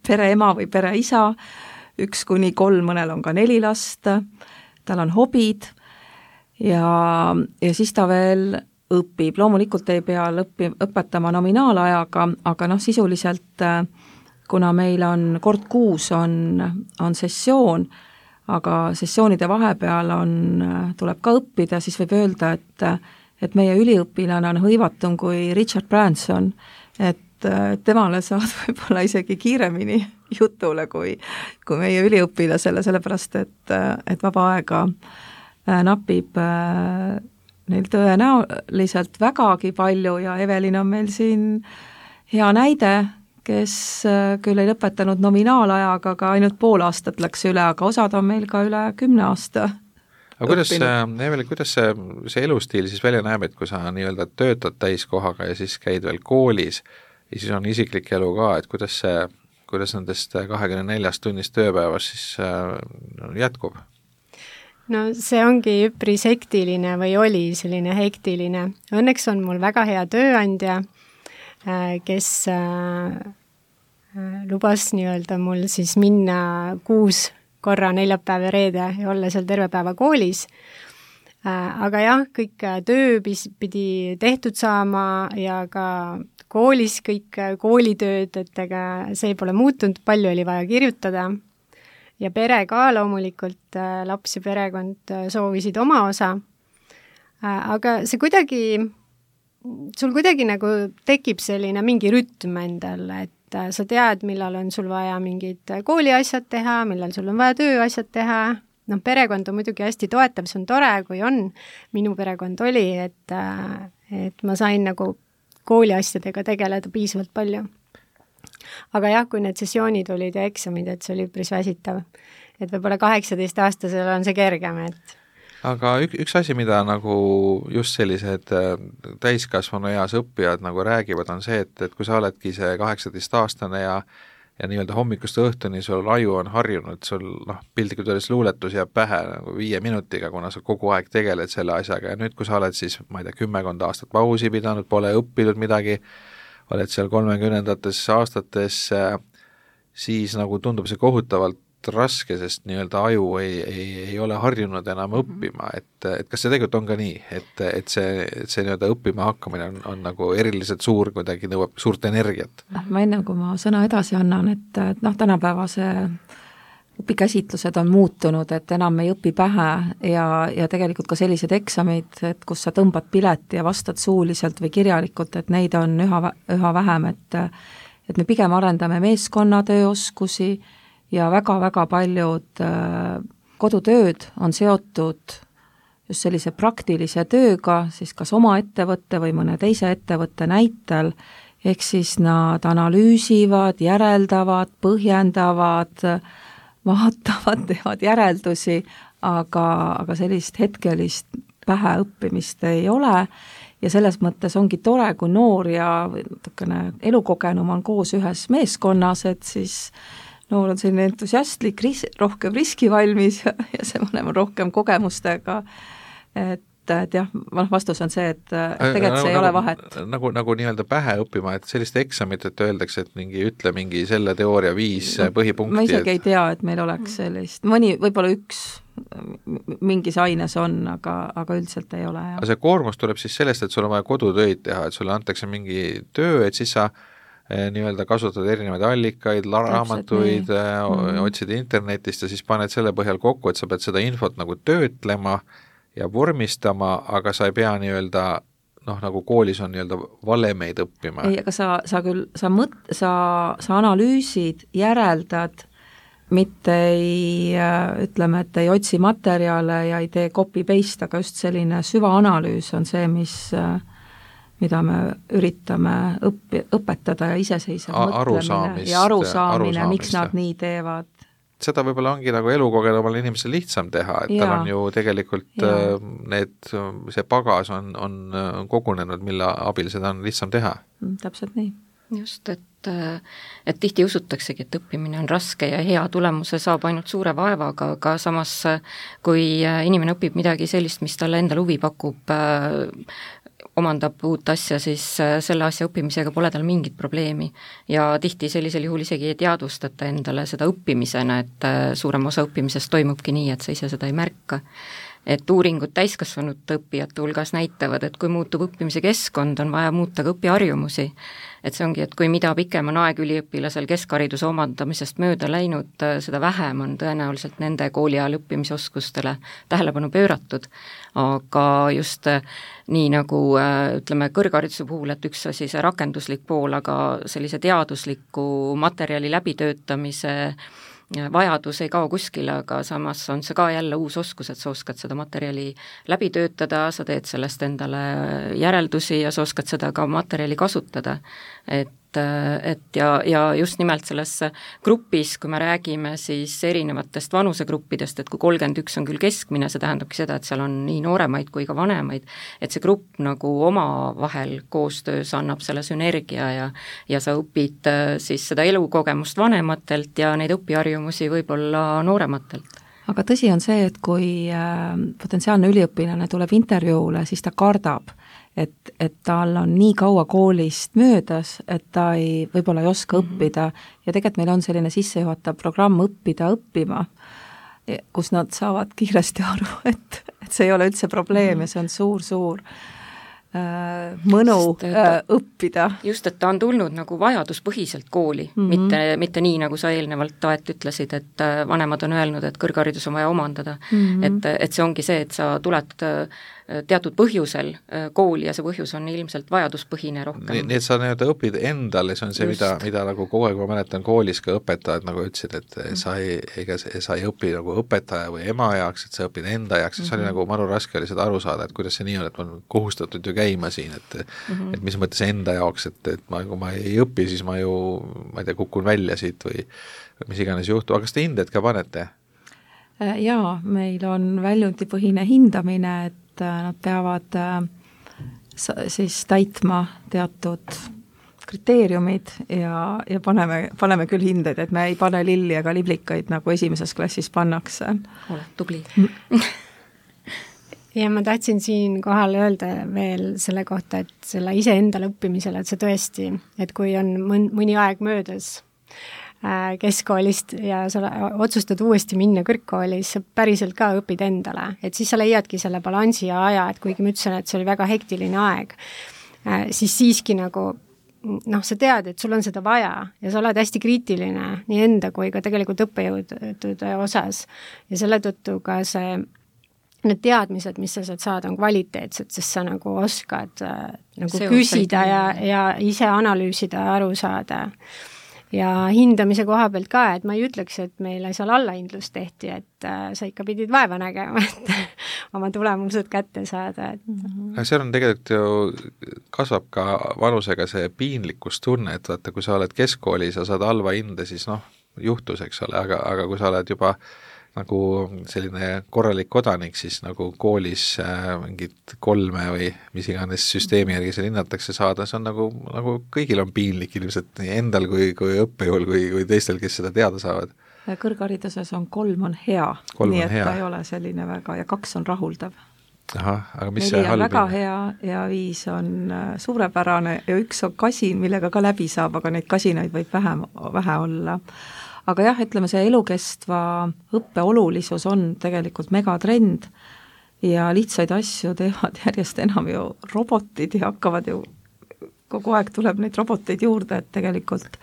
pereema või pereisa, 1-3, mõnel on ka 4 last, tal on hobid ja siis ta veel õpib, loomulikult ei pea õpetama nominaalajaga, aga sisuliselt, kuna meil on kord kuus on sessioon, aga sessioonide vahepeal tuleb ka õppida, siis võib öelda, et meie üliõpilane on hõivatum kui Richard Branson, et temale saad võib-olla isegi kiiremini jutule kui meie üliõpilasele, sellepärast et vaba aega napib neil tõenäoliselt vägagi palju ja Evelin on meil siin hea näide, kes küll ei lõpetanud nominaalajaga, aga ainult pool aastat läks üle, aga osad on meil ka üle 10 aasta. Aga Evelin, kuidas see elustiil siis välja näeb, et kui sa nii-öelda töötad täiskohaga ja siis käid veel koolis ja siis on isiklik elu ka, et kuidas nendest 24 tunnist tööpäevas siis jätkub? No see ongi üpris hektiline või oli selline hektiline. Õnneks on mul väga hea tööandja, kes lubas nii-öelda mul siis minna 6 korra neljapäev ja reede ja olla seal terve päeva koolis. Aga jah, kõik töö pidi tehtud saama ja ka koolis kõik koolitööd, et ega see pole muutunud, palju oli vaja kirjutada. Ja pere ka loomulikult, laps ja perekond soovisid oma osa. Aga see sul kuidagi nagu tekib selline mingi rütm endal, et sa tead, millal on sul vaja mingid kooliasjad teha, millal sul on vaja tööasjad teha. Perekond on muidugi hästi toetav, see on tore, kui on. Minu perekond oli, et ma sain nagu kooliasjadega tegeleda piisavalt palju. Aga jah, kui need sessioonid olid ja eksamid, et see oli üpris väsitav. Et võib-olla 18-aastasel on see kergem, et aga üks asi, mida nagu just sellised täiskasvanu eas õppijad nagu räägivad, on see, et kui sa oledki see 18-aastane ja nii-öelda hommikust õhtuni sul aju on harjunud, sul piltlikult öeldes luuletus jääb pähe nagu 5 minutiga, kuna sa kogu aeg tegeled selle asjaga ja nüüd, kui sa oled siis, ma ei tea, 10 aastat pausi pidanud, pole õppinud midagi, oled seal 30-ndates aastates, siis nagu tundub see kohutavalt raske, sest nii-öelda aju ei ole harjunud enam õppima, et kas see tegelikult on ka nii, et see nii-öelda õppima hakkamine on nagu eriliselt suur, kuidagi nõuab suurt energiat? Ma enne, kui ma sõna edasi annan, et tänapäeva see õpikäsitlused on muutunud, et enam ei õpi pähe ja tegelikult ka sellised eksamid, et kus sa tõmbad pileti ja vastad suuliselt või kirjalikult, et neid on üha vähem, et me pigem arendame meeskonnatööoskusi ja väga-väga paljud kodutööd on seotud just sellise praktilise tööga, siis kas oma ettevõtte või mõne teise ettevõtte näitel, ehk siis nad analüüsivad, järeldavad, põhjendavad, vaatavad, teevad järeldusi, aga sellist hetkelist päheõppimist ei ole ja selles mõttes ongi tore, kui noor ja natukene elukogenum on koos ühes meeskonnas, et siis noor on selline entusiastlik, rohkem riskivalmis ja see vanem on rohkem kogemustega et jah, vastus on see, et tegelikult see ei ole vahet. Nagu nii-öelda pähe õppima, et sellist eksamit, et öeldakse, et ütle mingi selle teooria 5 põhipunkti. Ma isegi ei tea, et meil oleks sellist, mõni, võib-olla üks mingis aines on, aga üldiselt ei ole. Aga see koormus tuleb siis sellest, et sul on vaja kodutöid teha, et sulle antakse mingi töö, et siis sa nii-öelda kasutad erinevaid allikaid, raamatuid, otsid internetist ja siis paned selle põhjal kokku, et sa pead seda infot nagu töötlema ja vormistama, aga sa ei pea nii-öelda, nagu koolis on nii-öelda valemeid õppima. Ei, aga sa analüüsid, järeldad, mitte ütleme, et ei otsi materjale ja ei tee copy-paste, aga just selline süvaanalüüs on see, mida me üritame õpetada ja iseseisev mõtlemine ja arusaamine, miks nad nii teevad. Seda võib-olla ongi nagu elukogenumal inimesel lihtsam teha, et tal on ju tegelikult see pagas on kogunenud, mille abil seda on lihtsam teha. Täpselt nii. Just, et tihti usutaksegi, et õppimine on raske ja hea tulemuse saab ainult suure vaevaga, aga samas kui inimene õpib midagi sellist, mis talle endal huvi pakub, omandab uut asja, siis selle asja õppimisega pole tal mingit probleemi ja tihti sellisel juhul isegi ei teadvustata endale seda õppimisena, et suurem osa õppimisest toimubki nii, et sa ise seda ei märka. Et uuringud täiskasvanud õppijate hulgas näitavad, et kui muutub õppimise keskkond, on vaja muuta ka õpiharjumusi. Et see ongi, et kui mida pikem on aeg üliõpilasel keskhariduse omandamisest mööda läinud, seda vähem on tõenäoliselt nende kooliajal õppimisoskustele tähelepanu pööratud. Aga just nii nagu ütleme kõrghariduse puhul, et üks asi see rakenduslik pool, aga sellise teadusliku materjali läbitöötamise vajadus ei kao kuskile, aga samas on see ka jälle uus oskus, et sa oskad seda materjali läbi töötada, sa teed sellest endale järeldusi ja sa oskad seda ka materjali kasutada. Ja just nimelt selles grupis, kui me räägime siis erinevatest vanusegruppidest, et kui 31 on küll keskmine, see tähendabki seda, et seal on nii nooremaid kui ka vanemaid, et see grupp nagu omavahel koostöös annab selle sünergia ja sa õpid siis seda elukogemust vanematelt ja neid õpiharjumusi võib-olla noorematelt. Aga tõsi on see, et kui potentsiaalne üliõpilane tuleb intervjuule, siis ta kardab, et tal on nii kaua koolist möödas, et ta võib-olla ei oska õppida ja tegelikult meil on selline sissejuhatav programm õppida õppima, kus nad saavad kiiresti aru, et see ei ole üldse probleem ja see on suur mõnu õppida. Just, et ta on tulnud nagu vajaduspõhiselt kooli, mitte nii, nagu sa eelnevalt ütlesid, et vanemad on öelnud, et kõrgharidus on vaja omandada. Et see ongi see, et sa tuled teatud põhjusel kooli ja see põhjus on ilmselt vajaduspõhine rohkem. Nii et sa õpid endale, see on see, mida nagu kogu aeg ma mäletan koolis ka õpetajad nagu ütlesid, et sa ei õpi nagu õpetaja või ema jaoks, et sa õpid enda jaoks, see oli nagu maru raske oli seda aru saada, et kuidas see nii on, et ma olen kohustatud ju käima siin, et mis mõttes enda jaoks, et kui ma ei õpi, siis ma ju, ma ei tea, kukun välja siit või mis iganes juhtu, aga kas te hinded ka panete? Jaa, meil on väljundipõhine hindamine, et nad peavad siis täitma teatud kriteeriumid ja paneme küll hindeid, et me ei pane lilli ega liblikaid, nagu esimeses klassis pannakse. Oled tubli. Ja ma tahtsin siin kohal öelda veel selle kohta, et selle iseendale õppimisele, et see tõesti, et kui on mõni aeg möödas keskkoolist ja sa otsustad uuesti minna kõrgkooli, siis sa päriselt ka õpid endale, et siis sa leiadki selle balansi ja aja, et kuigi ma ütlesin, et see oli väga hektiline aeg, siis siiski nagu sa tead, et sul on seda vaja ja sa oled hästi kriitiline nii enda kui ka tegelikult õppejõudude osas ja selle tõttu ka need teadmised, mis sa saad saada, on kvaliteetsed, sest sa nagu oskad nagu küsida ja ise analüüsida ja aru saada. Ja hindamise koha pealt ka, et ma ei ütleks, et meile seal allahindlust tehti, et sa ikka pidid vaeva nägema, et oma tulemused kätte saada. Seal on tegelikult ju kasvab ka vanusega see piinlikkustunne, et vaata, kui sa oled keskkoolis ja saad halva hinde, siis juhtus, eks ole, aga kui sa oled juba nagu selline korralik kodanik, siis nagu koolis mingit 3 või mis iganes süsteemi järgi seal hinnatakse saada, see on nagu kõigil on piinlik ilmselt nii endal kui õppejõul kui teistel, kes seda teada saavad. Kõrghariduses on 3 on hea, nii et ta ei ole selline väga ja 2 on rahuldav. Ahah, aga mis 4 see on halb väga hinne? hea ja 5 on suurepärane ja 1 on kasin, millega ka läbi saab, aga neid kasinaid võib vähe olla. Aga jah, ütleme see elukestva õppe olulisus on tegelikult megatrend ja lihtsaid asju teevad järjest enam ju robotid ja hakkavad ju, kogu aeg tuleb neid roboteid juurde, et tegelikult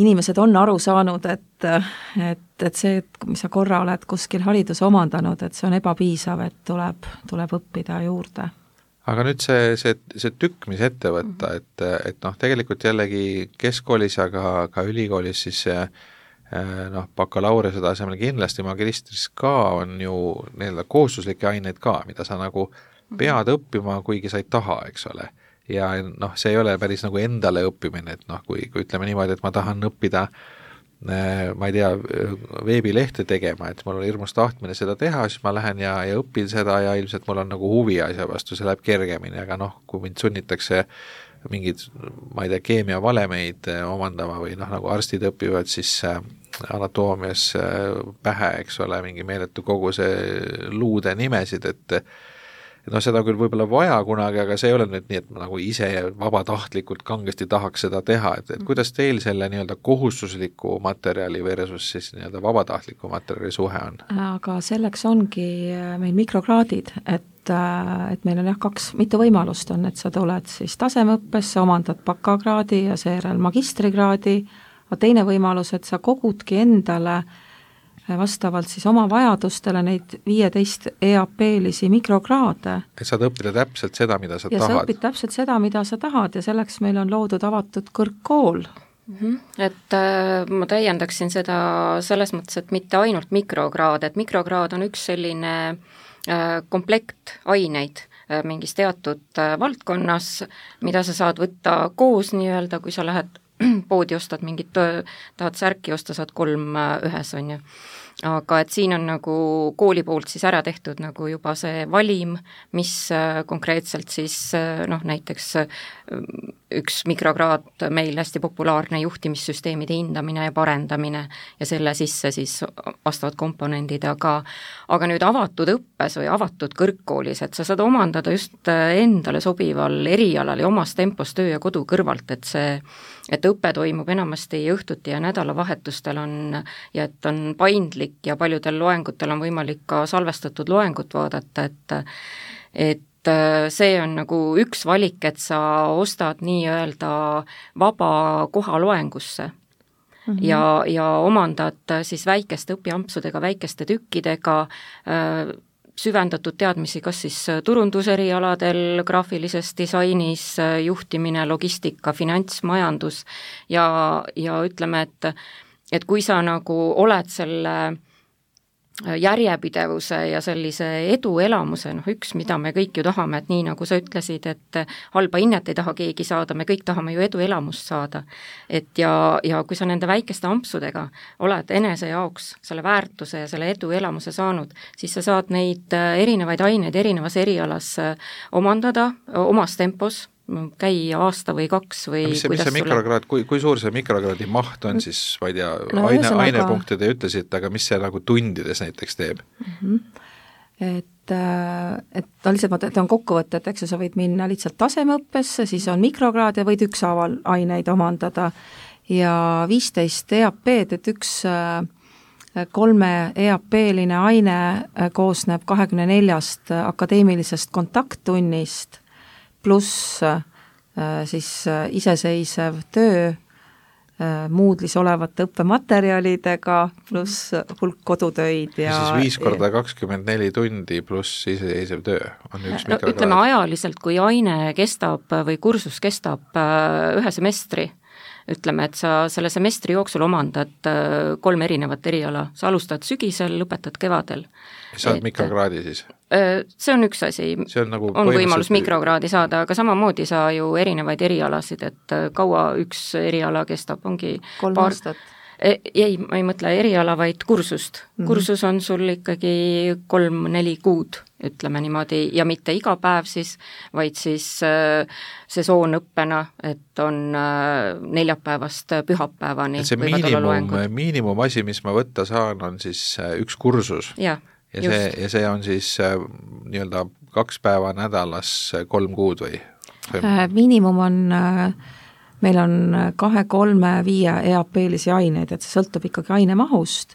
inimesed on aru saanud, et see, mis sa korra oled kuskil hariduse omandanud, et see on ebapiisav, et tuleb õppida juurde. Aga nüüd see tükk, mis ette võtta, et noh, tegelikult jällegi keskkoolis ja ka ülikoolis siis bakalaureuse tasemel kindlasti magistris ka on ju nii-öelda kohustuslikke aineid ka, mida sa nagu pead õppima, kuigi sa ei taha, eks ole. Ja noh, see ei ole päris nagu endale õppimine, et noh, kui ütleme niimoodi, et ma tahan õppida, ma ei tea, veebilehte tegema, et mul on hirmus tahtmine seda teha, siis ma lähen ja õpin seda ja ilmselt mul on nagu huvi asja vastu, see läheb kergemini, aga noh, kui mind sunnitakse mingid, ma ei tea, keemiavalemeid omandama või noh, nagu arstid õpivad siis anatoomias pähe, eks ole, mingi meeletu koguse luude nimesid, et noh, seda küll võib-olla vaja kunagi, aga see ei ole nüüd nii, et ma nagu ise vabatahtlikult kangesti tahaks seda teha, et kuidas teil selle nii-öelda kohustusliku materjali versus siis nii-öelda vabatahtliku materjali suhe on? Aga selleks ongi meil mikrokraadid, et meil on jah mitu võimalust on, et sa tuled siis tasemeõppesse, omandad bakakraadi ja seejärel magistrikraadi, aga teine võimalus, et sa kogudki endale vastavalt siis oma vajadustele neid 15 EAP-lisi mikrokraade. Et saad õppida täpselt seda, mida sa tahad. Ja sa õpid täpselt seda, mida sa tahad ja selleks meil on loodud avatud kõrgkool. Et ma täiendaksin seda selles mõttes, et mitte ainult mikrokraad, et mikrokraad on üks selline komplekt aineid mingis teatud valdkonnas, mida sa saad võtta koos nii-öelda, kui sa lähed poodi ostad mingit, tahad särki osta, saad 3 ühes, on ju. Aga et siin on nagu kooli poolt siis ära tehtud nagu juba see valim, mis konkreetselt siis noh, näiteks üks mikrokraad meil hästi populaarne juhtimissüsteemide hindamine ja parendamine ja selle sisse siis vastavad komponendid, aga nüüd avatud õppes või avatud kõrgkoolis, et sa saad omandada just endale sobival erialal ja omas tempos töö ja kodu kõrvalt, et õpe toimub enamasti õhtuti ja nädalavahetustel on ja et on paindlik ja paljudel loengutel on võimalik ka salvestatud loengut vaadata, et see on nagu üks valik, et sa ostad nii-öelda vaba koha loengusse ja omandad siis väikeste õpiampsudega, väikeste tükkidega süvendatud teadmisi, kas siis turunduserialadel, graafilises disainis, juhtimine, logistika, finants, majandus ja ütleme, et kui sa nagu oled selle järjepidevuse ja sellise eduelamuse, noh üks, mida me kõik ju tahame, et nii nagu sa ütlesid, et halba hinnet ei taha keegi saada, me kõik tahame ju eduelamust saada. Et ja kui sa nende väikeste ampsudega oled enese jaoks selle väärtuse ja selle eduelamuse saanud, siis sa saad neid erinevaid aineid erinevas erialas omandada omas tempos, käi aasta või 2 või mis see mikrokraad, kui suur see mikrokraadi maht on siis, ma ei tea, ainepunkte te ütlesite, aga mis see nagu tundides näiteks teeb? Et lihtsalt ma tean kokkuvõtet, eks sa võid minna lihtsalt tasemeõppesse, siis on mikrokraad ja võid ükshaaval aineid omandada ja 15 EAP-d, et üks 3 EAP-line aine koosneb 24 akadeemilisest kontakttunnist pluss siis iseseisev töö Moodle'is olevate õppematerjalidega pluss hulk kodutöid ja siis 5 korda 24 tundi pluss iseseisev töö on üks mikrokraad. Ütleme ajaliselt, kui aine kestab või kursus kestab 1 semestri, ütleme, et sa selle semestri jooksul omandad 3 erinevat eriala, sa alustad sügisel, lõpetad kevadel. Saad mikrokraadi siis? See on üks asi, nagu on võimalus mikrokraadi saada, aga samamoodi sa ju erinevaid erialasid, et kaua üks eriala kestab, ongi 3 aastat. Ei, ma ei mõtle eriala, vaid kursust. Kursus on sul ikkagi 3-4 kuud, ütleme niimoodi, ja mitte iga päev siis, vaid siis sesoonõppena, et on neljapäevast pühapäevani. Et see miinimumasi, mis ma võtta saan, on siis üks kursus. Jah. Ja see on siis nii-öelda 2 päeva nädalas 3 kuud või? Miinimum on, meil on 2, 3, 5 EAP-lisi aineid, et see sõltub ikkagi ainemahust,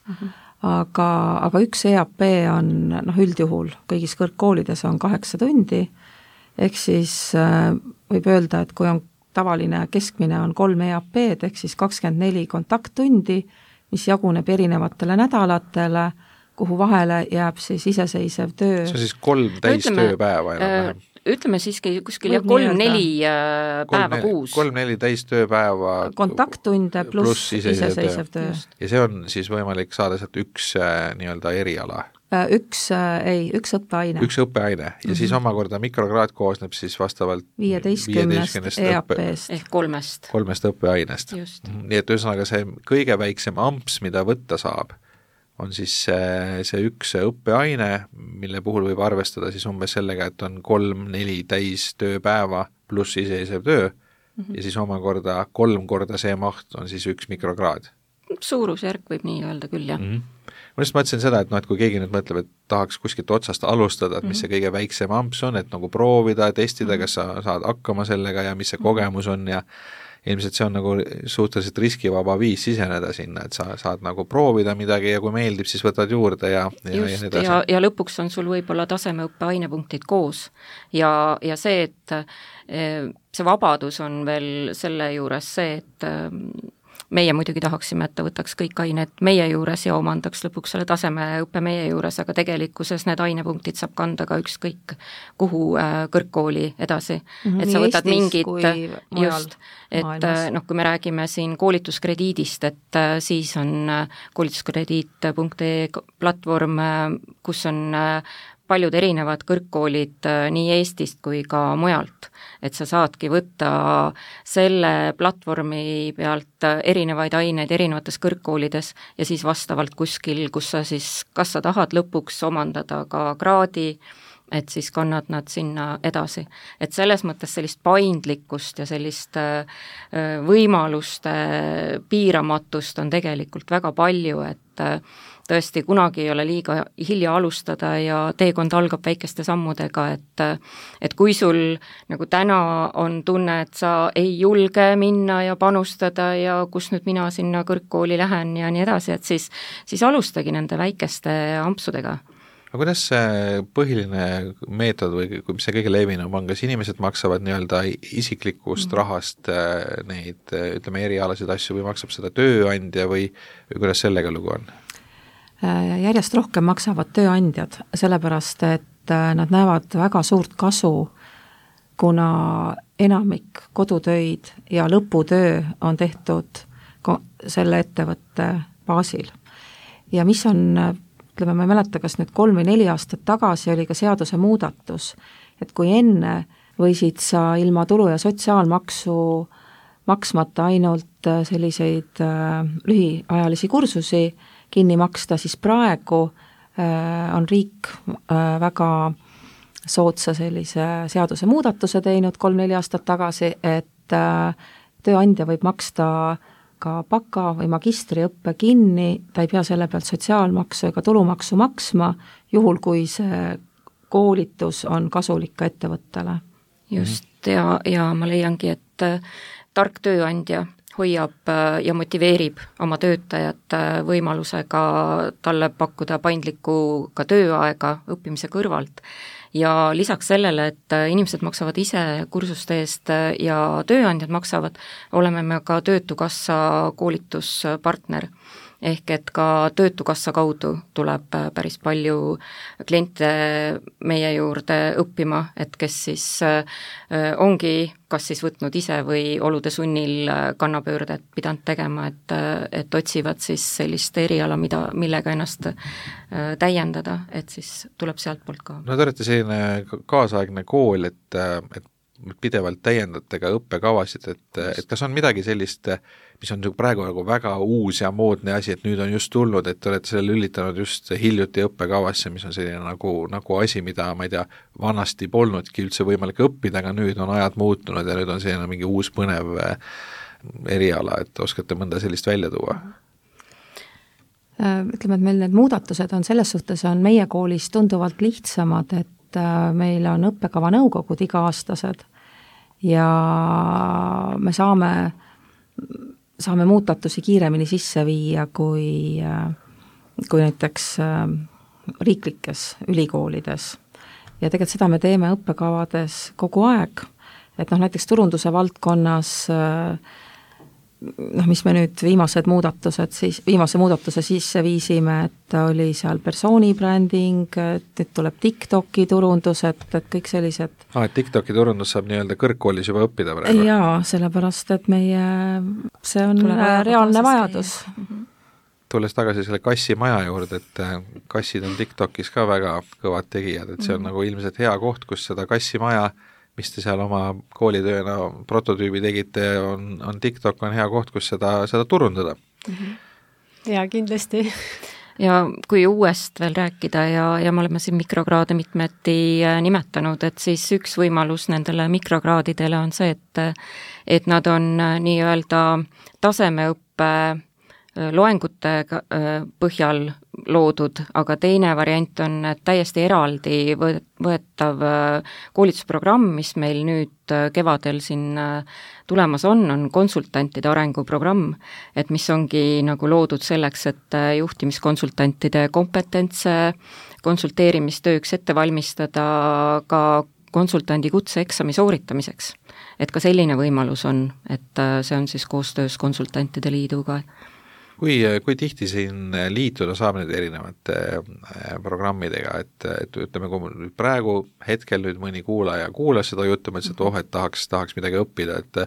aga üks EAP on üldjuhul kõigis kõrgkoolides on 8 tundi, ehk siis võib öelda, et kui on tavaline keskmine on 3 EAP-d, ehk siis 24 kontakttundi, mis jaguneb erinevatele nädalatele, kuhu vahele jääb siis iseseisev töö. See on siis 3 täistööpäeva enam-vähem. Ütleme siiski kuskil 3-4 päeva kuus. 3-4 täistööpäeva kontakttunde pluss iseseisev töö. Ja see on siis võimalik saada sealt üks nii-öelda eriala? Üks õppeaine. Üks õppeaine ja siis omakorda mikrokraad koosneb siis vastavalt 15 EAP-st. Ehk 3 õppeainest. Nii et ühesõnaga see kõige väiksem amps, mida võtta saab, on siis see üks õppeaine, mille puhul võib arvestada siis umbes sellega, et on 3-4 täistööpäeva pluss iseseisev töö ja siis omakorda 3 korda see maht on siis üks mikrokraad. Suurusjärk võib nii öelda küll, jah. Ma just mõtlesin seda, et kui keegi nüüd mõtleb, et tahaks kuskilt otsast alustada, et mis see kõige väiksem amps on, et nagu proovida, testida, kas sa saad hakkama sellega ja mis see kogemus on ja ilmselt see on nagu suhteliselt riskivaba viis siseneda sinna, et sa saad nagu proovida midagi ja kui meeldib, siis võtad juurde ja lõpuks on sul võib-olla tasemeõppe ainepunktid koos ja see, et see vabadus on veel selle juures see, et meie muidugi tahaksime, et ta võtaks kõik ained meie juures ja omandaks lõpuks selle tasemeõppe meie juures, aga tegelikkuses need ainepunktid saab kanda ka ükskõik kuhu kõrgkooli edasi. Et sa võtad mingid, just, et kui me räägime siin koolituskrediidist, et siis on koolituskrediit.ee platvorm, kus on paljud erinevad kõrgkoolid nii Eestist kui ka mujalt, et sa saadki võtta selle platvormi pealt erinevaid aineid erinevates kõrgkoolides ja siis vastavalt kuskil, kus sa siis, kas sa tahad lõpuks omandada ka kraadi, et siis kannad nad sinna edasi. Et selles mõttes sellist paindlikkust ja sellist võimaluste piiramatust on tegelikult väga palju, et tõesti kunagi ei ole liiga hilja alustada ja teekond algab väikeste sammudega, et kui sul nagu täna on tunne, et sa ei julge minna ja panustada ja kus nüüd mina sinna kõrgkooli lähen ja nii edasi, et siis alustagi nende väikeste ampsudega. Aga kuidas see põhiline meetod või mis see kõige levinum on, kas inimesed maksavad nii-öelda isiklikust rahast neid, ütleme, erialasid asju või maksab seda tööandja või kuidas sellega lugu on? Järjest rohkem maksavad tööandjad, sellepärast et nad näevad väga suurt kasu, kuna enamik kodutöid ja lõputöö on tehtud selle ettevõtte baasil. Ja mis on, ütleme, ma ei mäleta, kas nüüd 3 või 4 aastat tagasi oli ka seaduse muudatus, et kui enne võisid sa ilma tulu- ja sotsiaalmaksu maksmata ainult selliseid lühiajalisi kursusi kinni maksta, siis praegu on riik väga soodsa sellise seaduse muudatuse teinud 3-4 aastat tagasi, et tööandja võib maksta ka baka- või magistriõppe kinni, ta ei pea selle pealt sotsiaalmaksu ega tulumaksu maksma, juhul kui see koolitus on kasulik ka ettevõttele. Just, ja ma leiangi, et tark tööandja hoiab ja motiveerib oma töötajat võimalusega talle pakkuda paindlikku ka tööaega õppimise kõrvalt. Ja lisaks sellele, et inimesed maksavad ise kursuste eest ja tööandjad maksavad, oleme me ka Töötukassa koolituspartner. Ehk et ka Töötukassa kaudu tuleb päris palju kliente meie juurde õppima, et kes siis ongi kas siis võtnud ise või olude sunnil kannapöördet pidanud tegema, et otsivad siis sellist eriala, millega ennast täiendada, et siis tuleb sealt poolt ka. No te olete selline kaasaegne kool, et pidevalt täiendate ka õppekavasid, et kas on midagi sellist, mis on praegu nagu väga uus ja moodne asi, et nüüd on just tulnud, et te olete selle lülitanud just hiljuti õppekavasse, mis on selline nagu asi, mida, ma ei tea, vanasti polnudki üldse võimalik õppida, aga nüüd on ajad muutunud ja nüüd on selline mingi uus põnev eriala, et oskate mõnda sellist välja tuua? Ütleme, et meil need muudatused on selles suhtes, on meie koolis tunduvalt lihtsamad, et et meil on õppekava nõukogud iga-aastased ja me saame muudatusi kiiremini sisse viia kui näiteks riiklikes ülikoolides. Ja tegelikult seda me teeme õppekavades kogu aeg, et näiteks turunduse valdkonnas mis me nüüd viimase muudatuse sisse viisime, et oli seal persoonibränding, et tuleb TikToki turundus, et kõik sellised et TikToki turundus saab nii-öelda kõrgkoolis juba õppida praegu? Jaa, sellepärast, et see on reaalne vajadus. Tulles tagasi selle kassimaja juurde, et kassid on TikTokis ka väga kõvad tegijad, et see on nagu ilmselt hea koht, kus seda kassimaja mis te seal oma koolitööna prototüübi tegite, on TikTok on hea koht, kus seda turundada. Ja kindlasti. Ja kui uuest veel rääkida ja me oleme siin mikrokraade mitmeti nimetanud, et siis üks võimalus nendele mikrokraadidele on see, et nad on nii-öelda tasemeõppe loengute põhjal loodud, aga teine variant on täiesti eraldi võetav koolitusprogramm, mis meil nüüd kevadel siin tulemas on konsultantide arenguprogramm, et mis ongi nagu loodud selleks, et juhtimiskonsultantide kompetentse konsulteerimistööks ette valmistada ka konsultandi kutseeksami sooritamiseks. Et ka selline võimalus on, et see on siis koostöös konsultantide liiduga. Kui tihti siin liituda saab nüüd erinevate programmidega, et ütleme, kui praegu hetkel nüüd mõni kuulaja kuulas seda juttu, mõtles, et tahaks midagi õppida, et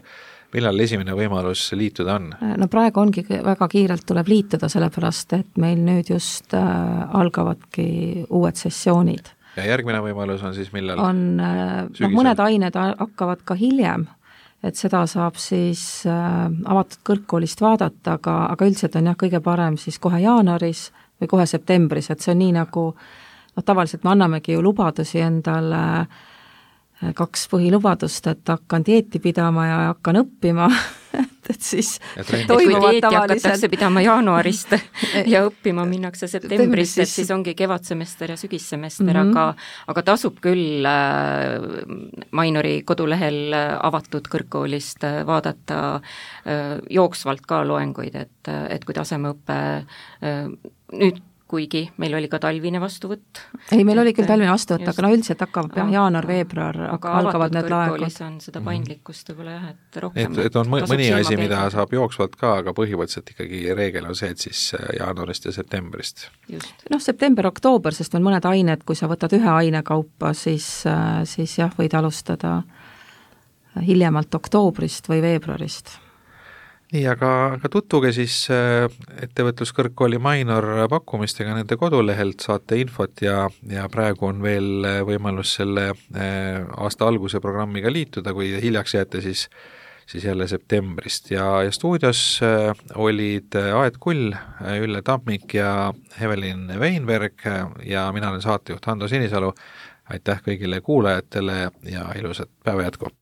millal esimene võimalus liituda on? No praegu ongi väga kiirelt tuleb liituda, sellepärast, et meil nüüd just algavadki uued sessioonid. Ja järgmine võimalus on siis millal? Mõned ained hakkavad ka hiljem, et seda saab siis avatud kõrgkoolist vaadata, aga üldiselt on kõige parem siis kohe jaanuaris või kohe septembris, et see on nii nagu, tavaliselt me annamegi ju lubadusi endale 2 põhilubadust, et hakkan dieeti pidama ja hakkan õppima, et siis toimuvad tavaliselt. Hakatakse pidama jaanuarist ja õppima minnakse septembrist, et siis ongi kevadsemester ja sügissemester, aga tasub küll Mainori kodulehel avatud kõrgkoolist vaadata jooksvalt ka loenguid, et kui tasemeõppe nüüd kuigi meil oli ka talvine vastuvõtt. Ei, meil oli küll talvine vastuvõtt, aga üldiselt hakkab jaanuar-veebruar algavad need laegud. On seda paindlikkust võib-olla et rohkem. Et on mõni asi, mida saab jooksvalt ka, aga põhimõtteliselt ikkagi reegel on see, et siis jaanuarist ja septembrist. September-oktoober, sest on mõned ained, kui sa võtad ühe aine kaupa, siis jah, võid alustada hiljemalt oktoobrist või veebruarist. Nii, aga tutvuge siis ettevõtluskõrgkooli Mainor pakkumistega nende kodulehelt, saate infot ja praegu on veel võimalus selle aasta alguse programmiga liituda, kui hiljaks jääte, siis jälle septembrist. Ja stuudios olid Aet Kull, Ülle Tammik ja Evelin Weinberg ja mina olen saatejuht Hando Sinisalu. Aitäh kõigile kuulajatele ja ilusat päeva jätku!